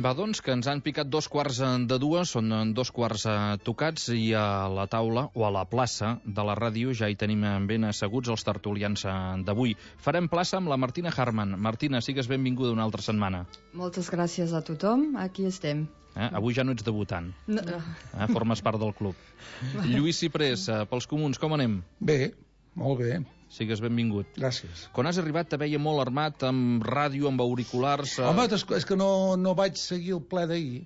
Va, doncs, que ens han picat 2:45, són 2:15 tocats, i a la taula, o a la plaça de la ràdio, ja hi tenim ben asseguts els tertulians d'avui. Farem plaça amb la Martina Harman. Martina, sigues benvinguda una altra setmana. Moltes gràcies a tothom, aquí estem. Avui ja no ets debutant. No. Formes part del club. Lluís Ciprés, pels comuns, com anem? Bé, molt bé. Sigues benvingut. Gràcies. Quan has arribat te veia molt armat, amb ràdio, amb auriculars... Home, és que no vaig seguir el ple d'ahir.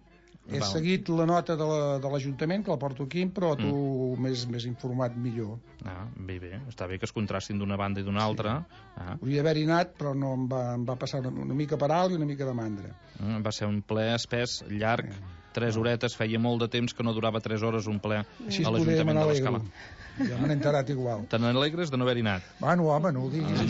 He seguit la nota de l'Ajuntament, que la porto aquí, però tu m'has informat millor. Bé, està bé que es contrastin d'una banda i d'una altra. Hauria d'haver-hi anat, però no em va passar una mica per alt i una mica de mandra. Va ser un ple espès, llarg, 3 horetes, feia molt de temps que no durava 3 hores un ple a l'Ajuntament de l'Escala. Ja me n'he enterat igual. Te n'alegres de no haver-hi anat? Bueno, home, no ho diguis.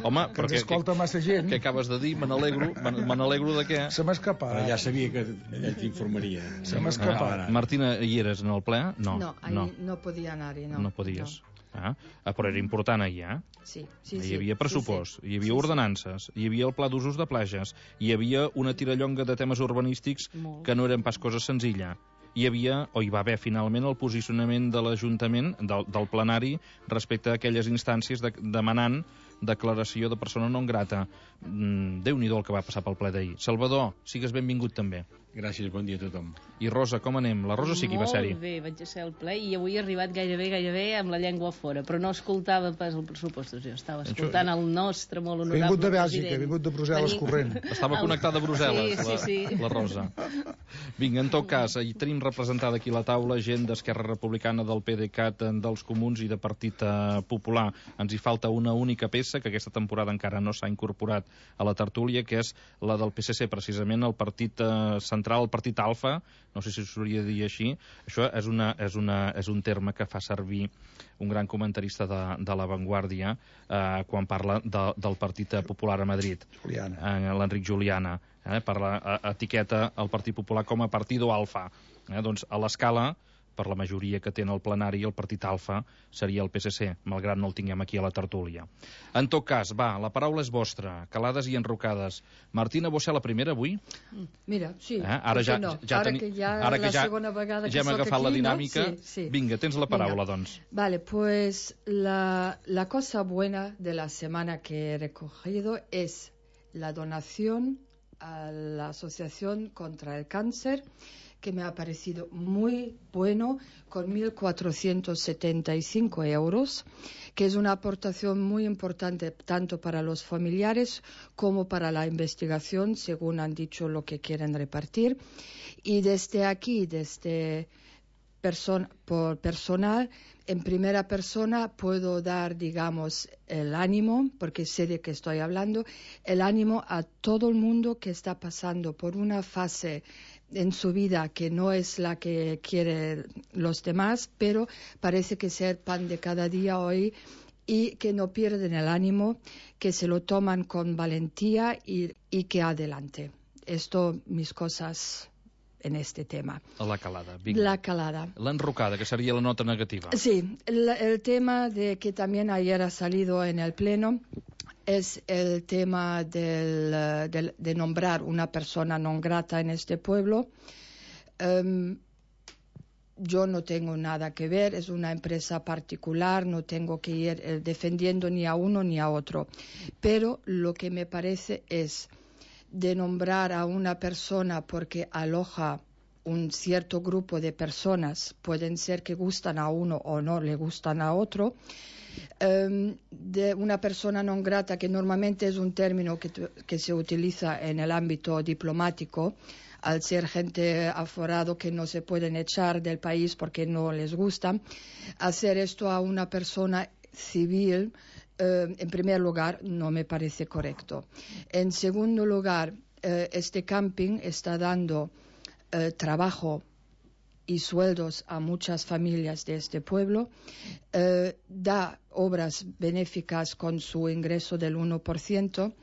Home, que ens escolta massa gent. Què acabes de dir? Me n'alegro de què? Se m'ha escapat. Però ja sabia que ell t'informaria. Se m'ha escapat. Martina, hi eres en el ple? No, no podia anar-hi, no. No podies. Però era important ahir, Sí. Hi havia pressupost, hi havia ordenances, hi havia el pla d'usos de plages, hi havia una tirallonga de temes urbanístics que no eren pas cosa senzilla. Hi havia, o hi va haver finalment, el posicionament de l'Ajuntament, del plenari, respecte a aquelles instàncies demanant declaració de persona non grata. Déu-n'hi-do el que va passar pel ple d'ahir. Salvador, sigues benvingut també. Gràcies, bon dia a tothom. I Rosa, com anem? La Rosa sí que hi va ser-hi. Molt bé, vaig ser al ple i avui he arribat gairebé amb la llengua fora, però no escoltava pas el pressupostos, jo estava escoltant el nostre molt honorable vingut de Bèlgica, president. vingut de Brussel·les corrent. Estava connectada a Brussel·les, sí. La Rosa. Vinga, en tot cas, hi tenim representada aquí a la taula gent d'Esquerra Republicana, del PDeCAT, dels Comuns i de Partit Popular. Ens hi falta una única peça que aquesta temporada encara no s'ha incorporat a la tertúlia, que és la del PSC, precisament el partit central, el partit alfa, no sé si s'hauria de dir així. Això és un terme que fa servir un gran comentarista de La Vanguardia quan parla del Partit Popular a Madrid, l'Enric Juliana. Etiqueta el Partit Popular com a partido alfa. Doncs a l'escala, per la majoria que té en el plenari, el partit alfa seria el PSC, malgrat no el tinguem aquí a la tertúlia. En tot cas, va, la paraula és vostra, calades i enrocades. Martina, vos ser la primera avui? Mira, sí. Ara que ja hem agafat la dinàmica, vinga, tens la paraula, doncs. Vale, pues la cosa buena de la semana que he recogido es la donación a la Asociación contra el Cáncer, que me ha parecido muy bueno, con 1.475 euros, que es una aportación muy importante tanto para los familiares como para la investigación, según han dicho lo que quieren repartir. Y desde aquí, por personal, en primera persona puedo dar, digamos, el ánimo, porque sé de qué estoy hablando, el ánimo a todo el mundo que está pasando por una fase en su vida que no es la que quieren los demás, pero parece que ser pan de cada día hoy, y que no pierden el ánimo, que se lo toman con valentía y que adelante. Esto, mis cosas en este tema. La calada, vinga. La calada. L'enrocada, que seria la nota negativa. Sí, el tema de que también ayer ha salido en el Pleno es el tema de nombrar una persona non grata en este pueblo. Yo no tengo nada que ver, es una empresa particular, no tengo que ir defendiendo ni a uno ni a otro. Pero lo que me parece es de nombrar a una persona porque aloja un cierto grupo de personas, pueden ser que gustan a uno o no le gustan a otro, de una persona non grata, que normalmente es un término que se utiliza en el ámbito diplomático, al ser gente aforado que no se pueden echar del país porque no les gusta. Hacer esto a una persona civil, en primer lugar, no me parece correcto. En segundo lugar, este camping está dando trabajo y sueldos a muchas familias de este pueblo, da obras benéficas con su ingreso del 1%,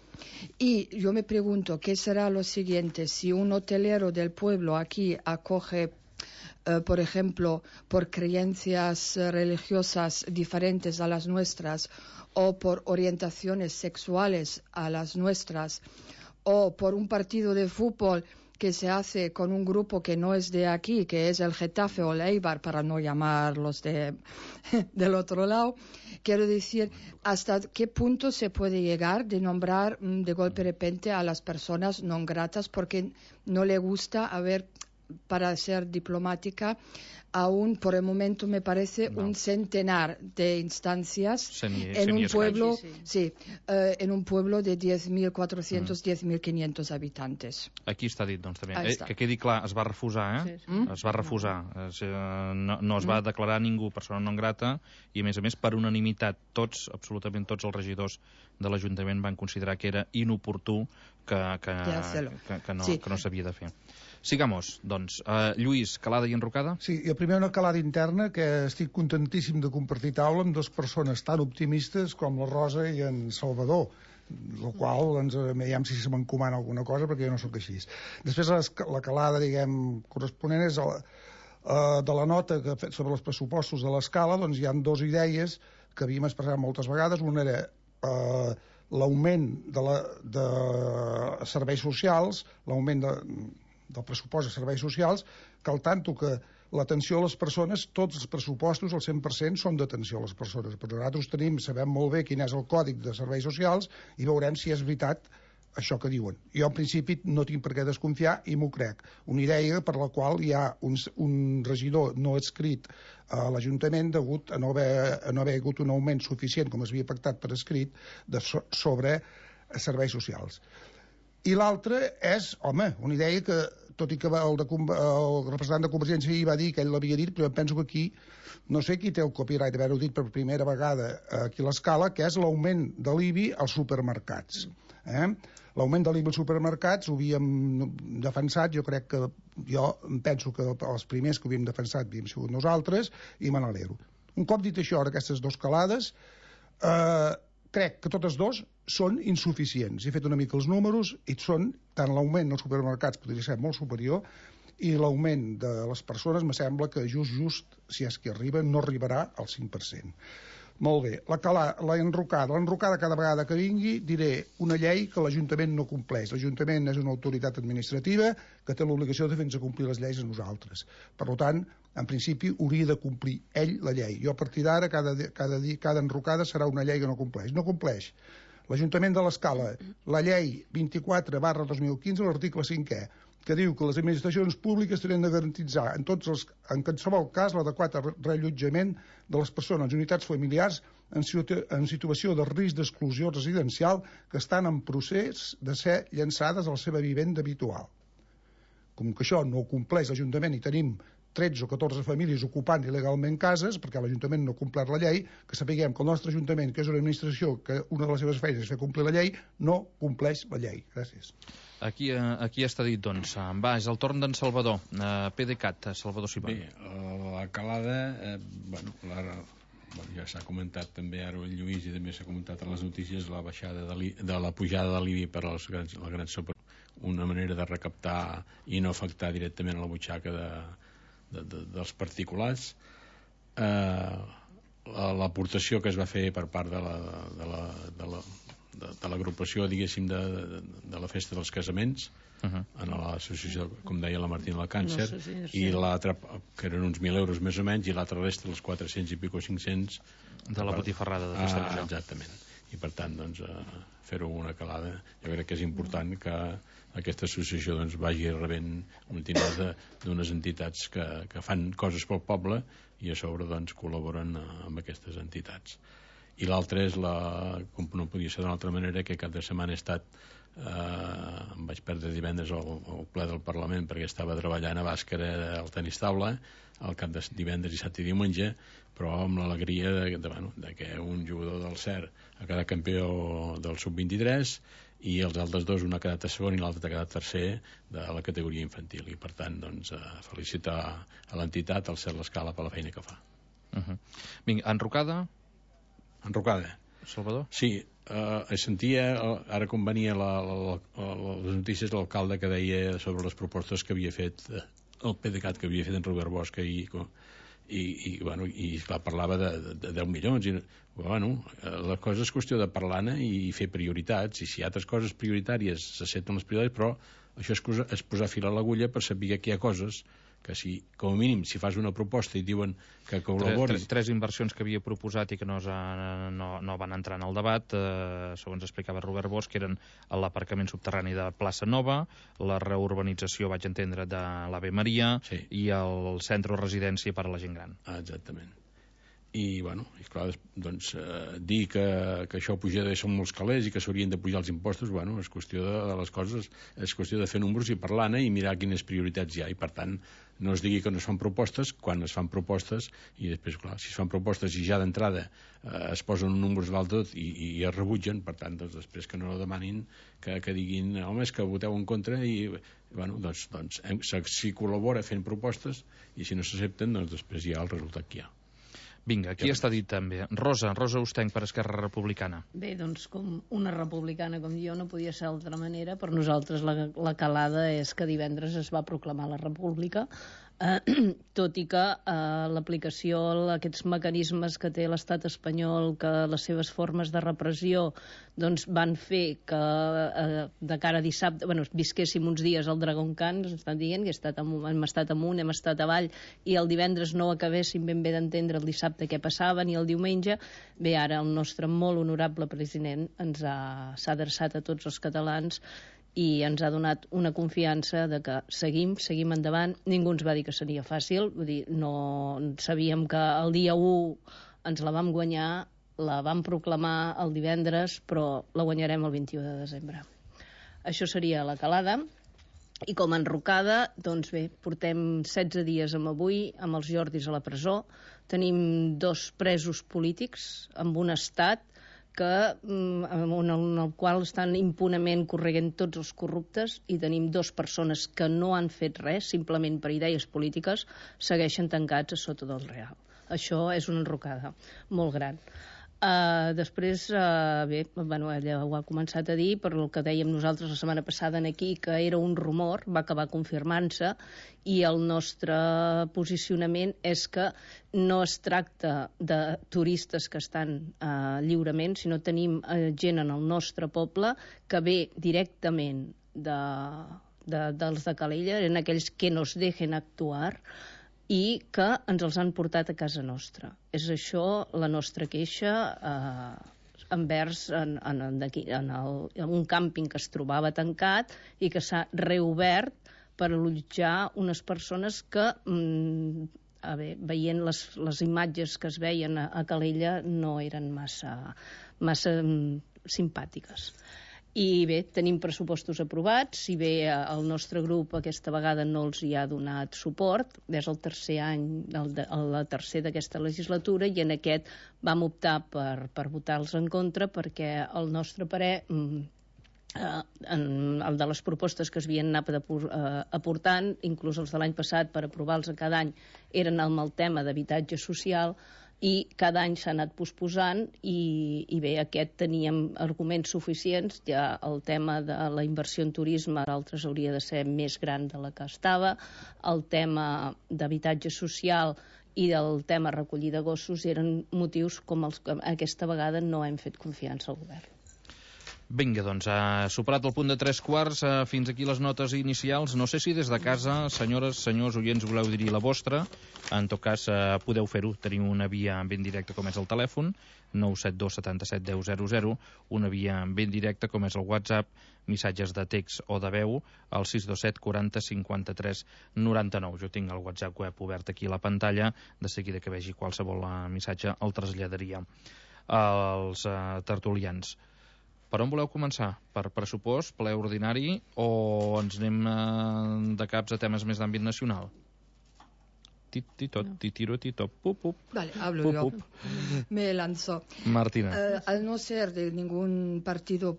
y yo me pregunto qué será lo siguiente si un hotelero del pueblo aquí acoge, por ejemplo, por creencias religiosas diferentes a las nuestras o por orientaciones sexuales a las nuestras, o por un partido de fútbol que se hace con un grupo que no es de aquí, que es el Getafe o el Eibar, para no llamarlos del otro lado. Quiero decir, ¿hasta qué punto se puede llegar de nombrar de golpe de repente a las personas no gratas porque no le gusta para ser diplomática, aún por el momento me parece un centenar de instancias en un pueblo, en un pueblo de 10.400, 10.500 habitantes. Aquí està dit, doncs, també. Que quedi clar, es va refusar, Es va refusar. No es va declarar ningú persona non grata i, a més, per unanimitat, absolutament tots els regidors de l'Ajuntament van considerar que era inoportú que no s'havia de fer. Sigamos, doncs. Lluís, calada i enrocada? Sí, i primer una calada interna que estic contentíssim de compartir taula amb dues persones tan optimistes com la Rosa i en Salvador, el qual, doncs, veiem si se m'encomana alguna cosa, perquè jo no sóc així. Després la calada, diguem, corresponent és de la nota que ha fet sobre els pressupostos de l'escala, doncs hi ha dues idees que havíem expressat moltes vegades. Una era l'augment de serveis socials, l'augment del pressupost de serveis socials, que al tanto que l'atenció a les persones, tots els pressupostos, el 100%, són d'atenció a les persones. Però nosaltres sabem molt bé quin és el còdic de serveis socials i veurem si és veritat això que diuen. Jo, en principi, no tinc per què desconfiar i m'ho crec. Una idea per la qual hi ha un regidor no adscrit a l'Ajuntament degut a no haver hagut un augment suficient, com es havia pactat per escrit, sobre serveis socials. I l'altra és, home, una idea que, tot i que el representant de Convergència hi va dir que ell l'havia dit, però jo penso que aquí, no sé qui té el copyright d'haver-ho dit per primera vegada aquí a l'escala, que és l'augment de l'IBI als supermercats. L'augment de l'IBI als supermercats ho havíem defensat, jo penso que els primers que ho havíem defensat havíem sigut nosaltres, i me n'alegro. Un cop dit això, aquestes dues calades, crec que totes dos són insuficients. He fet una mica els números i són, tant l'augment dels supermercats podria ser molt superior i l'augment de les persones me sembla que just, si és que arriba, no arribarà al 5%. Molt bé, l'enrocada cada vegada que vingui diré una llei que l'Ajuntament no compleix. L'Ajuntament és una autoritat administrativa que té l'obligació de fer-nos complir les lleis a nosaltres. Per tant, en principi hauria de complir ell la llei. Jo a partir d'ara cada enrocada serà una llei que no compleix. No compleix l'Ajuntament de l'Escala la llei 24/2015, l'article 5è, que diu que les administracions públiques tenen de garantitzar en qualsevol cas l'adequat reallotjament de les persones i unitats familiars en situació de risc d'exclusió residencial que estan en procés de ser llançades a la seva vivenda habitual. Com que això no ho compleix l'Ajuntament i tenim 13 o 14 famílies ocupant il·legalment cases, perquè l'Ajuntament no ha complert la llei, que sapiguem que el nostre Ajuntament, que és una administració que una de les seves feines és fer complir la llei, no compleix la llei. Gràcies. Aquí està dit, doncs. Va, és el torn d'en Salvador. PDeCAT, Salvador Simón. Bé, la calada, ja s'ha comentat també ara el Lluís i també s'ha comentat a les notícies la pujada de l'IBI per a la gran una manera de recaptar i no afectar directament a la butxaca dels particulars. L'aportació que es va fer per part de l'agrupació, diguéssim, de la festa dels casaments en l'associació, com deia la Martina del Càncer, i l'altra, que eren uns 1.000 euros més o menys, i l'altra resta, els 400 i pico 500 de la botifarrada de festa major. Exactament. I per tant, doncs, fer-ho una calada, jo crec que és important que aquesta associació vagi rebent un dinar d'unes entitats que fan coses pel poble i a sobre col·laboren amb aquestes entitats. I l'altra és, com no podia ser d'una altra manera, que cap de setmana he estat, em vaig perdre divendres al ple del Parlament perquè estava treballant a Bàscara al tenis taula, al cap de divendres, dissabte i diumenge, però amb l'alegria de que un jugador del CER ha quedat campió del sub-23 i els altres dos, un ha quedat a segon i l'altre ha quedat tercer de la categoria infantil, i per tant felicitar a l'entitat, al CER l'Escala, per la feina que fa. Vinga, enrocada? Salvador? Sí, sentia ara com venia les notícies de l'alcalde que deia sobre les propostes que havia fet el PDeCAT, que havia fet en Robert Bosch i clar, parlava de 10 milions la cosa és qüestió de parlar-ne i fer prioritats, i si hi ha altres coses prioritàries s'accepten les prioritats, però això és posar fil a l'agulla per saber que hi ha coses que com a mínim si fas una proposta i diuen que col·laboris... Tres inversions que havia proposat i que no van entrar en el debat, segons explicava Robert Bosch, que eren l'aparcament subterrani de Plaça Nova, la reurbanització, vaig entendre, de l'Ave Maria i el centre o residència per a la gent gran. Exactament. I, clar, doncs, dir que això pujarà són molts calés i que s'haurien de pujar els impostos, és qüestió de les coses, és qüestió de fer números i parlar-ne i mirar quines prioritats hi ha, i per tant no es digui que no es fan propostes quan es fan propostes, i després, clar, si es fan propostes i ja d'entrada es posen números dalt tot i es rebutgen, per tant, doncs després que no demanin que diguin, home, és que voteu en contra i, si col·labora fent propostes i si no s'accepten, doncs després hi ha el resultat que hi ha. Vinga, aquí està dit també. Rosa Ustenc, per Esquerra Republicana. Bé, doncs com una republicana com jo no podia ser d'altra manera. Per nosaltres la calada és que divendres es va proclamar la república, tot i que l'aplicació d'aquests mecanismes que té l'estat espanyol, que les seves formes de repressió doncs van fer que de cara a dissabte visquéssim uns dies al Dragon Khan, ens estan dient que hem estat amunt, hem estat avall, i el divendres no acabéssim ben bé d'entendre el dissabte què passava ni el diumenge. Bé, ara el nostre molt honorable president s'ha adreçat a tots els catalans i ens ha donat una confiança de que seguim endavant. Ningú ens va dir que seria fàcil, vull dir, no sabíem que el dia 1 ens la vam guanyar, la vam proclamar el divendres, però la guanyarem el 21 de desembre. Això seria la calada. I com a enrocada, doncs bé, portem 16 dies amb avui, amb els Jordis a la presó, tenim 2 presos polítics amb un estat en el qual estan impunement corregent tots els corruptes, i tenim 2 persones que no han fet res, simplement per idees polítiques, segueixen tancats a sota del Real. Això és una enrocada molt gran. Després, ella ho ha començat a dir, per el que dèiem nosaltres la setmana passada aquí, que era un rumor, va acabar confirmant-se, i el nostre posicionament és que no es tracta de turistes que estan lliurement, sinó tenim gent en el nostre poble que ve directament dels de Calella, en aquells que nos dejen actuar, i que ens els han portat a casa nostra. És això la nostra queixa envers en un càmping que es trobava tancat i que s'ha reobert per allotjar unes persones que, veient les imatges que es veien a Calella, no eren massa simpàtiques. I bé, tenim pressupostos aprovats, si bé el nostre grup aquesta vegada no els hi ha donat suport, és el tercer any, la tercer d'aquesta legislatura, i en aquest vam optar per votar-los en contra, perquè el nostre parer, el de les propostes que es havien anat aportant, inclús els de l'any passat per aprovar-los cada any, eren amb el tema d'habitatge social, i cada any s'ha anat posposant, i bé, aquest teníem arguments suficients. Ja el tema de la inversió en turisme, altres hauria de ser més gran de la que estava, el tema d'habitatge social i del tema recollida de gossos eren motius com els que aquesta vegada no hem fet confiança al govern. Vinga, doncs, ha superat el punt de 3/4, fins aquí les notes inicials. No sé si des de casa, senyores, senyors oients, voleu dir la vostra. En tot cas, podeu fer-ho. Tenim una via ben directa, com és el telèfon, 972 77 10 00, una via ben directa, com és el WhatsApp, missatges de text o de veu, al 627 40 53 99. Jo tinc el WhatsApp web obert aquí a la pantalla, de seguida que vegi qualsevol missatge el traslladaria als tertulians. Per on voleu començar? Per pressupost, ple ordinari, o ens anem de caps a temes més d'àmbit nacional? Tiro, pup, pup. Vale, hablo yo. Me lanzo. Martina. Al no ser de ningún partido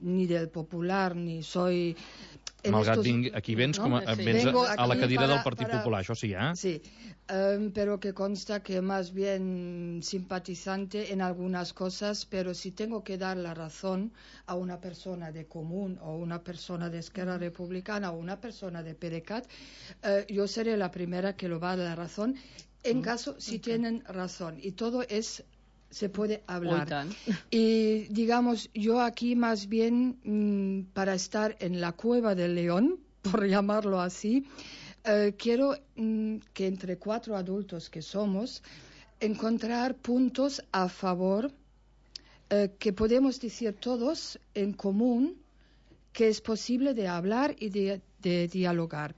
ni del Popular, ni soy... Malgrat aquí vens, vens a la cadira del Partit Popular, això sí, ¿eh? Sí, pero que consta que más bien simpatizante en algunas cosas, pero si tengo que dar la razón a una persona de Común o una persona de Esquerra Republicana o una persona de PDeCAT, yo seré la primera que lo va a dar la razón en caso si tienen razón. Y todo se puede hablar. Y digamos, yo aquí más bien para estar en la cueva del león, por llamarlo así, quiero que entre 4 adultos que somos, encontrar puntos a favor que podemos decir todos en común que es posible de hablar y de dialogar.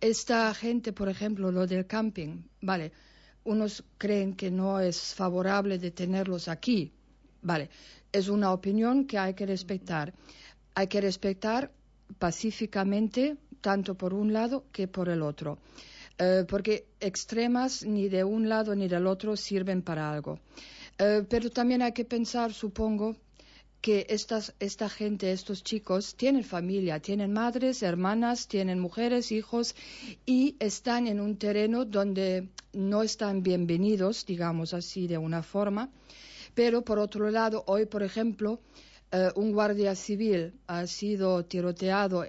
Esta gente, por ejemplo, lo del camping, vale, unos creen que no es favorable de tenerlos aquí. Vale, es una opinión que hay que respetar. Hay que respetar pacíficamente, tanto por un lado que por el otro. Porque extremas ni de un lado ni del otro sirven para algo. Pero también hay que pensar, supongo, que esta gente, estos chicos, tienen familia, tienen madres, hermanas, tienen mujeres, hijos, y están en un terreno donde no están bienvenidos, digamos así, de una forma. Pero, por otro lado, hoy, por ejemplo, un guardia civil ha sido tiroteado,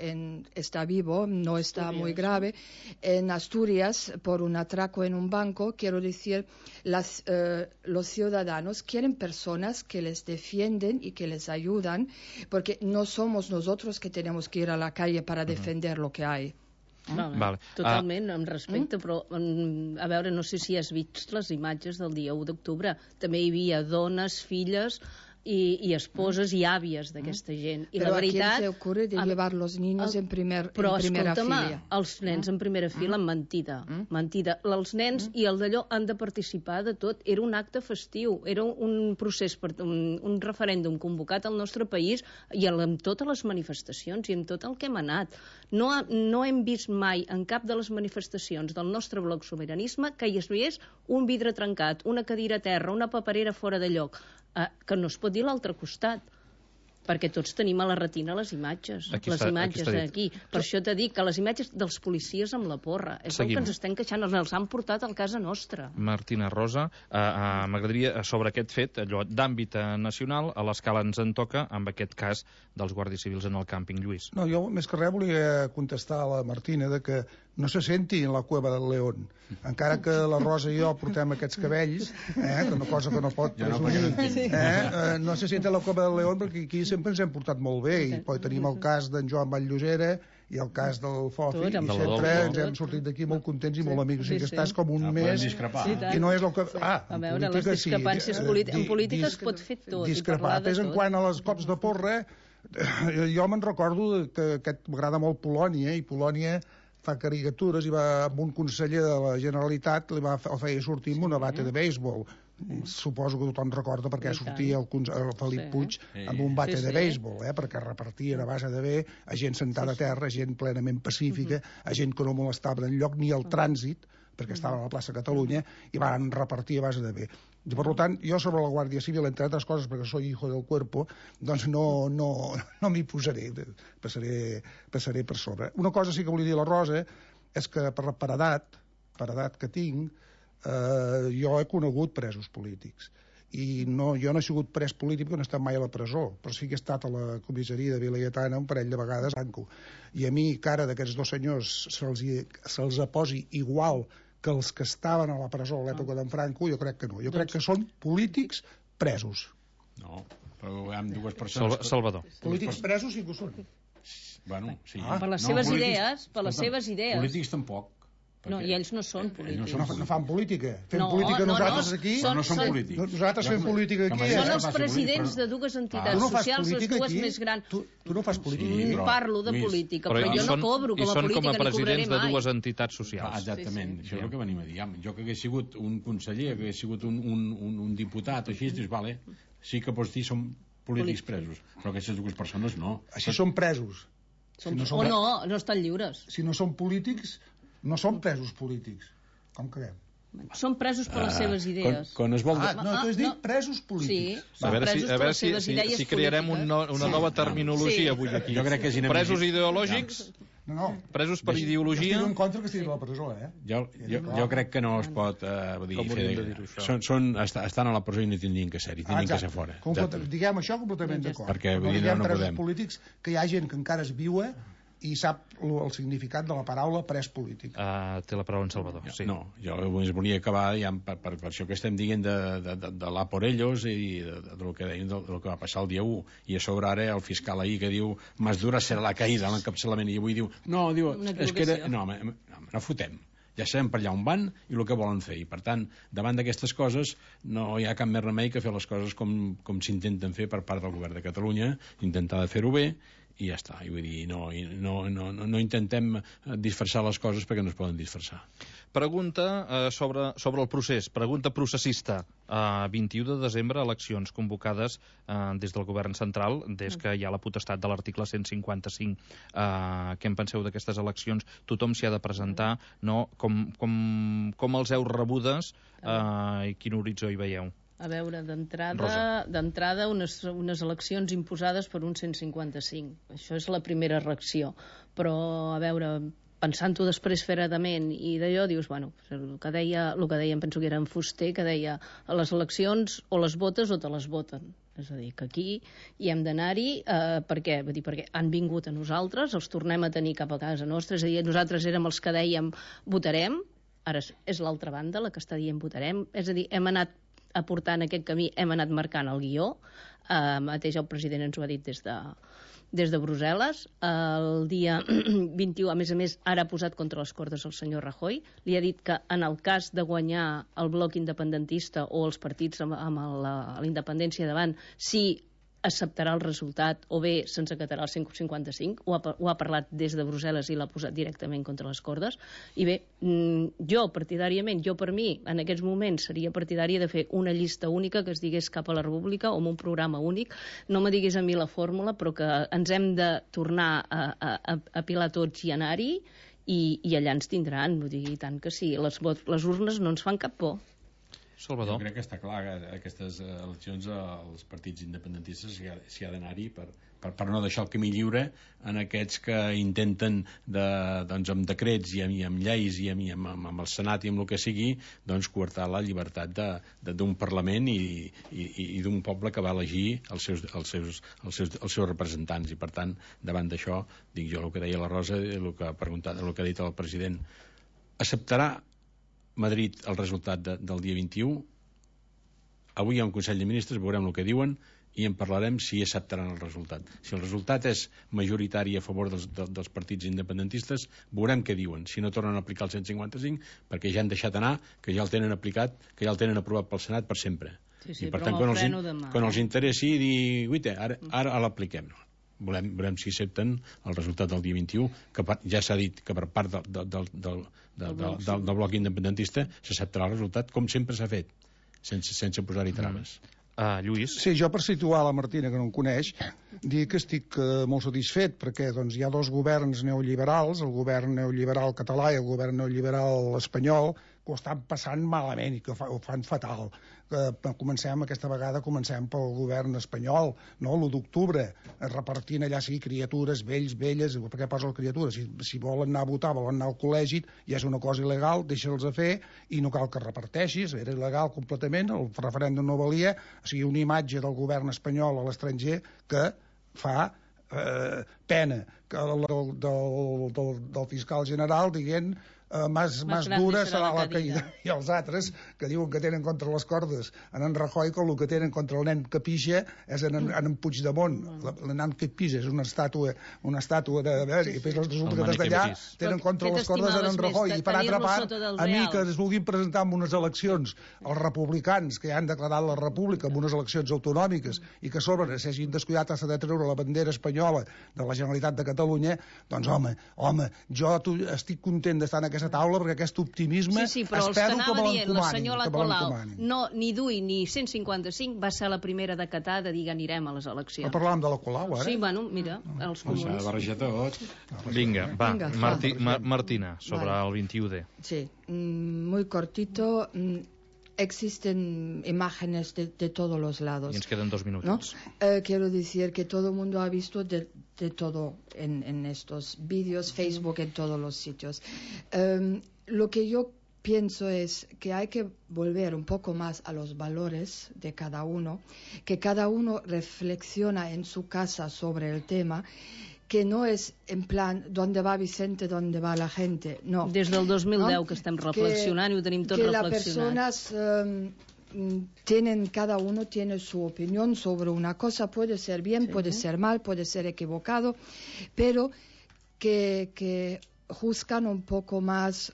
está vivo, no está muy grave, en Asturias por un atraco en un banco. Quiero decir, los ciudadanos quieren personas que les defienden y que les ayudan, porque no somos nosotros que tenemos que ir a la calle para defender lo que hay. Vale. Totalment, amb respecte, però a veure, no sé si has vist les imatges del dia 1 d'octubre. També hi havia dones, filles y esposes y àvies d'aquesta gent. I però la veritat, a quién se ocurre de llevar los niños en primera fila? Els nens en primera fila, mentida. Mentida. Els nens i el d'allò han de participar de tot. Era un acte festiu, era un procés, un referèndum convocat al nostre país i amb totes les manifestacions i amb tot el que hem anat. No hem vist mai en cap de les manifestacions del nostre bloc Sobiranisme que hi hagués un vidre trencat, una cadira a terra, una paperera fora de lloc, que no es pot dir a l'altre costat, perquè tots tenim a la retina les imatges. Aquí. Per això t'he dit que les imatges dels policies amb la porra és el que ens estem queixant, els han portat a casa nostra. Martina Rosa, m'agradaria, sobre aquest fet, allò d'àmbit nacional, a l'escala ens en toca, amb aquest cas dels guàrdies civils en el càmping, Lluís. No, jo més que res volia contestar a la Martina de que no se senti en la cueva del león. Encara que la Rosa i jo portem aquests cabells, una cosa que no pot presumir, no se senti en la cueva del león, perquè aquí sempre ens hem portat molt bé, i poi tenim el cas d'en Joan Vall-llosera i el cas del Fofi, i sempre ens hem sortit d'aquí molt contents i molt amics. O sigui que estàs com un mes i no és el que... A veure, les discrepàncies en política es pot fer tot. Discrepar. És en quant a les cops de porra, jo me'n recordo que m'agrada molt Polònia, i Polònia fa caricatures i va amb un conseller de la Generalitat el feia sortir amb una bata de béisbol. Suposo que tothom recorda perquè sortia el Felip Puig amb un bata de béisbol, perquè repartien a base de bé a gent sentada a terra, a gent plenament pacífica, a gent que no molestava enlloc ni el trànsit, perquè estava a la plaça Catalunya, i van repartir a base de bé. I, per tant, jo sobre la Guàrdia Civil, entre altres coses, perquè soy hijo del cuerpo, doncs no m'hi posaré, passaré per sobre. Una cosa sí que volia dir a la Rosa és que per edat que tinc, jo he conegut presos polítics. I jo no he sigut pres polític perquè no he estat mai a la presó, però sí que he estat a la comissaria de Vilayetana un parell de vegades banco. I a mi, cara d'aquests dos senyors se'ls posi igual que els que estaven a la presó a l'època d'en Franco, jo crec que no. Jo crec que són polítics presos. No, però hi ha dues persones... Salvador. Polítics presos sí que ho són. Bueno, sí. Per les seves idees, Polítics tampoc. No, i ells no són polítics. No fan política. Fem política nosaltres aquí. No són polítics. Nosaltres fem política aquí. Són els presidents de dues entitats socials, les dues més grans. Tu no fas política. Parlo de política, però jo no cobro com a política, ni cobraré mai. I són com a presidents de dues entitats socials. Exactament, això és el que venim a dir. Jo que hagués sigut un conseller, que hagués sigut un diputat, així, dius, vale, sí que pots dir som polítics presos, però aquestes dues persones no. Així són presos. O no estan lliures. Si no són polítics, no són presos polítics. Com quedem? Són presos per les seves idees. Quan es vol... No, tu has dit presos polítics. Sí, A veure si crearem una nova terminologia avui aquí. Jo crec que és presos ideològics, No, presos per ideologia... estic en contra que estiguin a la presó, Jo crec que no es pot dir... Com hauríem de dir-ho, això? Estan a la presó i no tindrien que ser-hi, tindrien que ser fora. Diguem això completament d'acord. Perquè, vull dir, diguem no presos podem. polítics, que hi ha gent que encara es viu i sap el significat de la paraula pres polític. Té la paraula en Salvador, sí. No, jo volia acabar ja per això que estem dient de la por ellos i del que deien del que va passar el dia 1, i a sobre ara el fiscal ahir que diu más dura serà la caïda, l'encapçalament, i avui diu, és que era... No fotem. Ja sabem per allà on van i el que volen fer, i per tant, davant d'aquestes coses no hi ha cap més remei que fer les coses com s'intenten fer per part del govern de Catalunya, intentar de fer-ho bé, i ja està. I vull dir, no intentem disfressar les coses perquè no es poden disfressar. Pregunta sobre el procés, pregunta processista. 21 de desembre, eleccions convocades des del govern central, des que hi ha la potestat de l'article 155. Què en penseu d'aquestes eleccions? Tothom s'hi ha de presentar, no? Com els heu rebudes i quin horitzó hi veieu? A veure, d'entrada unes eleccions imposades per un 155. Això és la primera reacció. Però, a veure, pensant-ho després fredament i d'allò, dius, bueno, el que deia, em penso que era en Fuster, que deia, a les eleccions o les votes o te les voten. És a dir, que aquí hi hem d'anar-hi, per què? Vull dir, perquè han vingut a nosaltres, els tornem a tenir cap a casa nostra, és a dir, nosaltres érem els que dèiem votarem, ara és l'altra banda la que està dient votarem, és a dir, hem anat aportant aquest camí, hem anat marcant el guió, mateix el president ens ho ha dit des de Brussel·les. El dia 21, a més, ara ha posat contra les cordes el senyor Rajoy, li ha dit que en el cas de guanyar el bloc independentista o els partits amb la independència davant, sí acceptarà el resultat o bé se'ns acatarà el 155, ho ha parlat des de Brussel·les i l'ha posat directament contra les cordes. I bé, jo partidàriament, per mi, en aquests moments seria partidària de fer una llista única que es digués Cap a la República o amb un programa únic. No me diguis a mi la fórmula, però que ens hem de tornar a pilar tots i anar-hi i allà ens tindran. Vull dir, i tant que sí, les urnes no ens fan cap por. Salvador. Jo crec que està clar que aquestes eleccions els partits independentistes s'hi ha d'anar-hi per no deixar el camí lliure en aquests que intenten doncs, amb decrets i amb lleis i amb el Senat i amb el que sigui, doncs coartar la llibertat d'un Parlament i d'un poble que va elegir els seus representants. I per tant, davant d'això, dic jo el que deia la Rosa, el que ha dit el president, acceptarà Madrid el resultat del dia 21. Avui hi ha un Consell de Ministres, veurem el que diuen i en parlarem si acceptaran el resultat. Si el resultat és majoritari a favor dels partits independentistes, veurem què diuen. Si no tornen a aplicar el 155, perquè ja han deixat anar, que ja el tenen aplicat, que ja el tenen aprovat pel Senat per sempre. Sí, i per tant, quan els interessi, dir, guaita, ara l'apliquem. Veurem si accepten el resultat del dia 21, que ja s'ha dit que per part del bloc independentista s'acceptarà el resultat, com sempre s'ha fet, sense posar-hi traves. Lluís? Sí, jo per situar la Martina, que no em coneix, dir que estic molt satisfet perquè doncs, hi ha dos governs neoliberals, el govern neoliberal català i el govern neoliberal espanyol, que ho estan passant malament i que ho fan fatal. Aquesta vegada comencem pel govern espanyol, no? L'1 d'octubre, repartint allà sí criatures, vells, velles, per què posa les criatures? Si volen anar a votar, volen anar al col·legi, ja és una cosa il·legal, deixa'ls a fer i no cal que reparteixis, era il·legal completament, el referèndum no valia, o sigui, una imatge del govern espanyol a l'estranger que fa pena que del fiscal general dient más dura serà la caïda. I els altres que diuen que tenen contra les cordes en Rajoy, com el que tenen contra el nen que pixa és en Puigdemont. El nen que pixa és una estàtua de... I després els resultats d'allà tenen contra les cordes en Rajoy. I per altra part, a mi que es vulguin presentar en unes eleccions els republicans que ja han declarat la república en unes eleccions autonòmiques i que a sobre s'hagin descuidat de treure la bandera espanyola de la Generalitat de Catalunya, doncs home, jo estic content d'estar en aquesta taula perquè aquest optimisme però espero que me dient, la senyora Colau, l'encomanin. no, ni DUI ni 155 va ser la primera de Qatar de dir que anirem a les eleccions. Però parlàvem de la Colau, ara? Sí, bueno, mira, els comuns. S'ha de barrejar tot. Vinga, va, Martina, sobre el 21D. Sí, muy cortito. Existen imágenes de todos los lados. Y nos quedan 2 minutos. ¿No? Quiero decir que todo el mundo ha visto de todo en estos vídeos, Facebook, en todos los sitios. Lo que yo pienso es que hay que volver un poco más a los valores de cada uno, que cada uno reflexiona en su casa sobre el tema, que no és en plan d'on va Vicente, d'on va la gente, no. Des del 2010 que estem reflexionant i ho tenim tot reflexionat. Que las personas cada uno tiene su opinión sobre una cosa, puede ser bien, puede ser mal, puede ser equivocado, pero que juzgan un poco más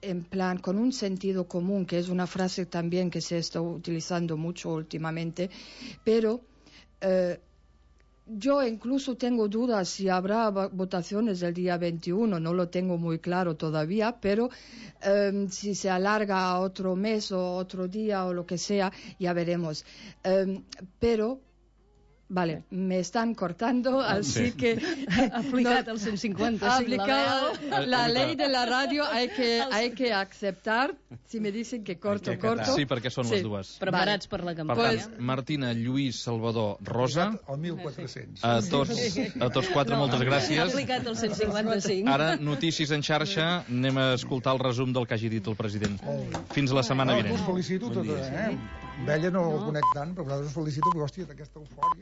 en plan con un sentido común, que es una frase también que se está utilizando mucho últimamente, pero yo incluso tengo dudas si habrá votaciones el día 21, no lo tengo muy claro todavía, pero si se alarga a otro mes o otro día o lo que sea, ya veremos. Pero, vale, me están cortando, así que... Aplicat el 155, aplicado la ley de la radio, hay que aceptar, si me dicen que corto. Sí, perquè són les dues. Preparats per la Per campanya. tant, Martina, Lluís, Salvador, Rosa, El 1400. a tots 4 moltes gràcies. Aplicat el 155. Ara, notícies en xarxa, anem a escoltar el resum del que hagi dit el president. Fins la setmana vinent. Us felicito, amb ella no el conec tant, però us felicito, perquè, hòstia, d'aquesta eufòria...